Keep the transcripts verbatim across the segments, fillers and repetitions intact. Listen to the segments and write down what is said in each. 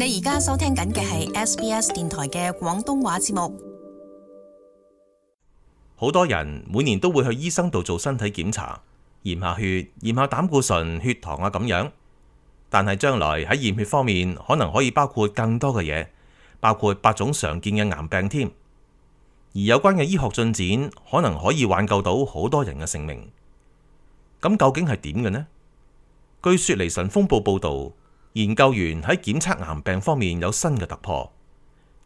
你而家收聽緊嘅係 S B S 電台嘅廣東話節目。好多人每年都會去醫生度做身體檢查，驗下血、驗下膽固醇、血糖啊咁樣。但係將來喺驗血方面，可能可以包括更多嘅嘢，包括八種常見嘅癌病添。而有關嘅醫學進展，可能可以挽救到好多人嘅性命。咁究竟係點嘅呢？據雪梨晨鋒報報導，研究員喺檢測癌病方面有新嘅突破，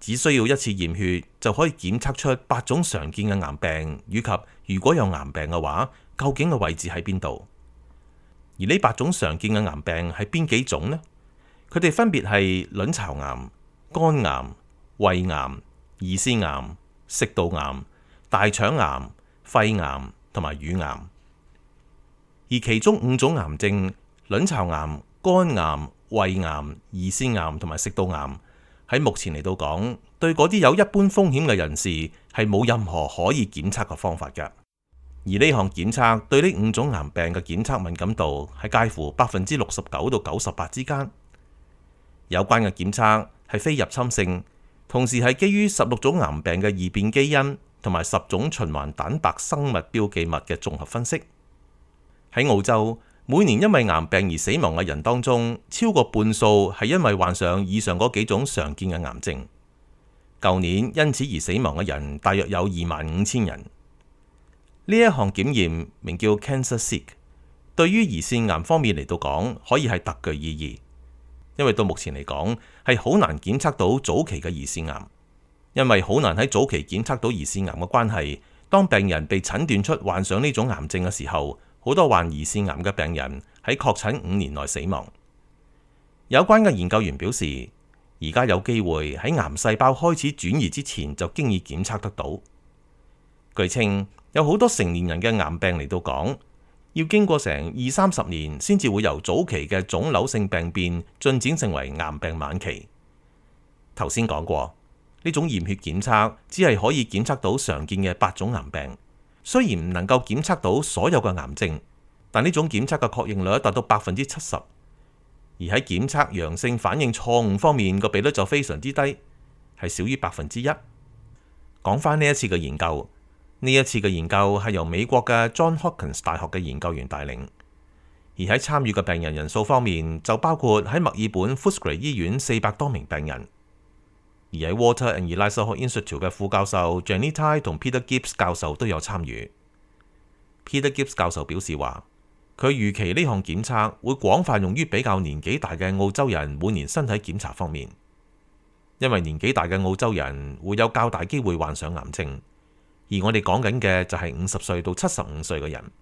只需要一次驗血就可以檢測出八種常見嘅癌病，以及如果有癌病嘅話，究竟嘅位置喺邊度？而呢八種常見嘅癌病係邊幾種呢？佢哋分別係卵巢癌、肝癌、胃癌、胰腺癌、食道癌、大腸癌、肺癌同埋乳癌。而其中五種癌症，卵巢癌、肝癌、胃癌、胰腺癌同埋食道癌，喺目前嚟到講，對嗰啲有一般風險嘅人士係冇任何可以檢測嘅方法嘅。而呢項檢測對呢五種癌病嘅檢測敏感度係介乎百分之六十九到九十八之間。有關嘅檢測係非入侵性，同時係基於十六種癌病嘅異變基因同埋十種循環蛋白生物標記物嘅綜合分析。喺澳洲，每年因為癌病而死亡嘅人當中，超過半數係因為患上以上嗰幾種常見嘅癌症。舊年因此而死亡嘅人大約有二萬五千人。呢一項檢驗名叫 CancerSeek， 對於胰腺癌方面嚟到講，可以係特具意義，因為到目前嚟講係好難檢測到早期嘅胰腺癌，因為好難喺早期檢測到胰腺癌嘅關係。當病人被診斷出患上呢種癌症嘅時候，好多患胰腺癌嘅病人喺確診五年內死亡。有關嘅研究員表示，而家有機會喺癌細胞開始轉移之前就經已檢測得到。據稱，有好多成年人嘅癌病嚟到講，要經過成二三十年先至會由早期嘅腫瘤性病變進展成為癌病晚期。頭先講過，呢種驗血檢測只係可以檢測到常見嘅八種癌病，雖然唔能夠檢測到所有嘅癌症，但呢種檢測嘅確認率達到百分之七十，而喺檢測陽性反應錯誤方面個比率就非常之低，係少於百分之一。講翻呢一次嘅研究。呢一次嘅研究係由美國嘅 Johns Hopkins 大學嘅研究員帶領，而喺參與嘅病人人數方面就包括喺墨爾本 Footscray 醫院四百多名病人，而喺 Walter and Eliza Hall Institute 嘅副教授 Jenny Tai 同 Peter Gibbs 教授都有參與。Peter Gibbs 教授表示話，佢預期呢項檢測會廣泛用於比較年紀大嘅澳洲人每年身體檢查方面，因為年紀大嘅澳洲人會有較大機會患上癌症。而我哋講緊嘅就係五十歲到七十五歲嘅人。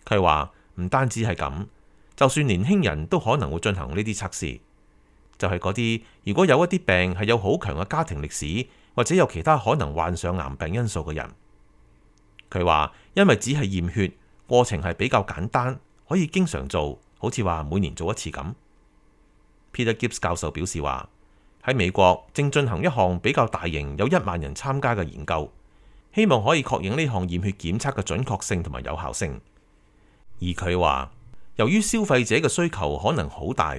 佢話唔單止係咁，就算年輕人都可能會進行呢啲測試，就係嗰啲如果有一啲病係有好強嘅家庭歷史，或者有其他可能患上癌病因素嘅人。佢話因為只係驗血，過程係比較簡單，可以經常做，好似話每年做一次咁。Peter Gibbs 教授表示話，喺美國正進行一項比較大型，有一萬人參加嘅研究，希望可以確認呢項驗血檢測嘅準確性同埋有效性。而佢話，由於消費者嘅需求可能好大，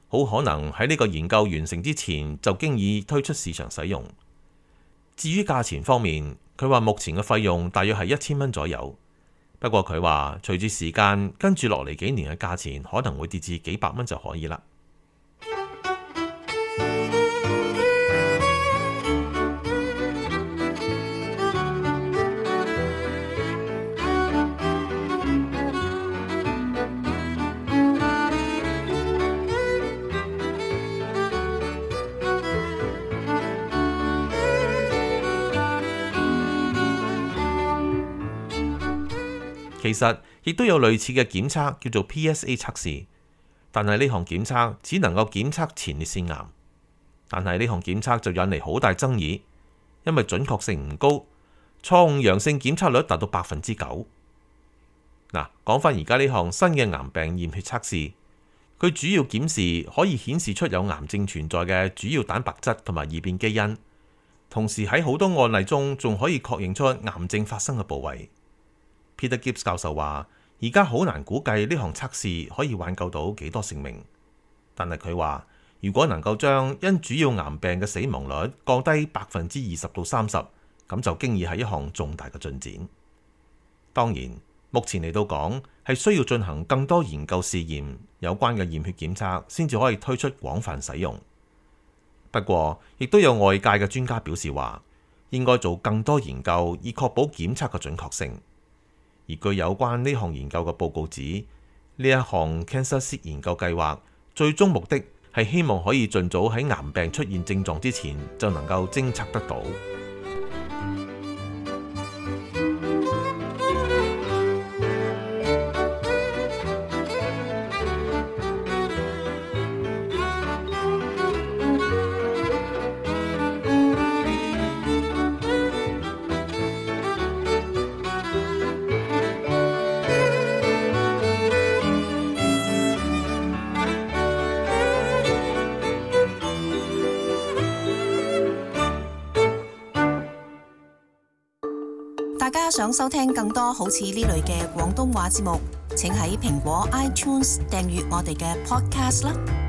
好可能喺呢個研究完成之前就經已推出市場使用。至於價錢方面，佢話目前嘅費用大約係一千蚊左右。不過佢話，隨住時間跟住落嚟幾年嘅價錢可能會跌至幾百蚊就可以啦。其實亦都有類似嘅檢測叫做 P S A 測試，但係呢項檢測只能夠檢測前列腺癌。但係呢項檢測就引嚟好大爭議，因為準確性唔高，錯誤陽性檢測率達到百分之九。嗱，講翻而家呢項新嘅癌病驗血測試，佢主要檢視可以顯示出有癌症存在嘅主要蛋白質同埋異變基因，同時喺好多案例中仲可以確認出癌症發生嘅部位。Peter Gibbs 教授話，而家好難估計呢項測試可以挽救到幾多性命，但係佢話，如果能夠將因主要癌病嘅死亡率降低百分之二十到三十，咁就經已係一項重大嘅進展。當然，目前嚟到講係需要進行更多研究試驗，有關嘅驗血檢測先至可以推出廣泛使用。不過，亦都有外界嘅專家表示話，應該做更多研究以確保檢測嘅準確性。而據有關呢項研究嘅報告指，呢一項 CancerSEEK 研究計劃最終目的係希望可以盡早喺癌病出現症狀之前就能夠偵測得到。大家想收聽更多好似呢類嘅廣東話節目，請喺蘋果 iTunes 訂閱我哋嘅 podcast 啦。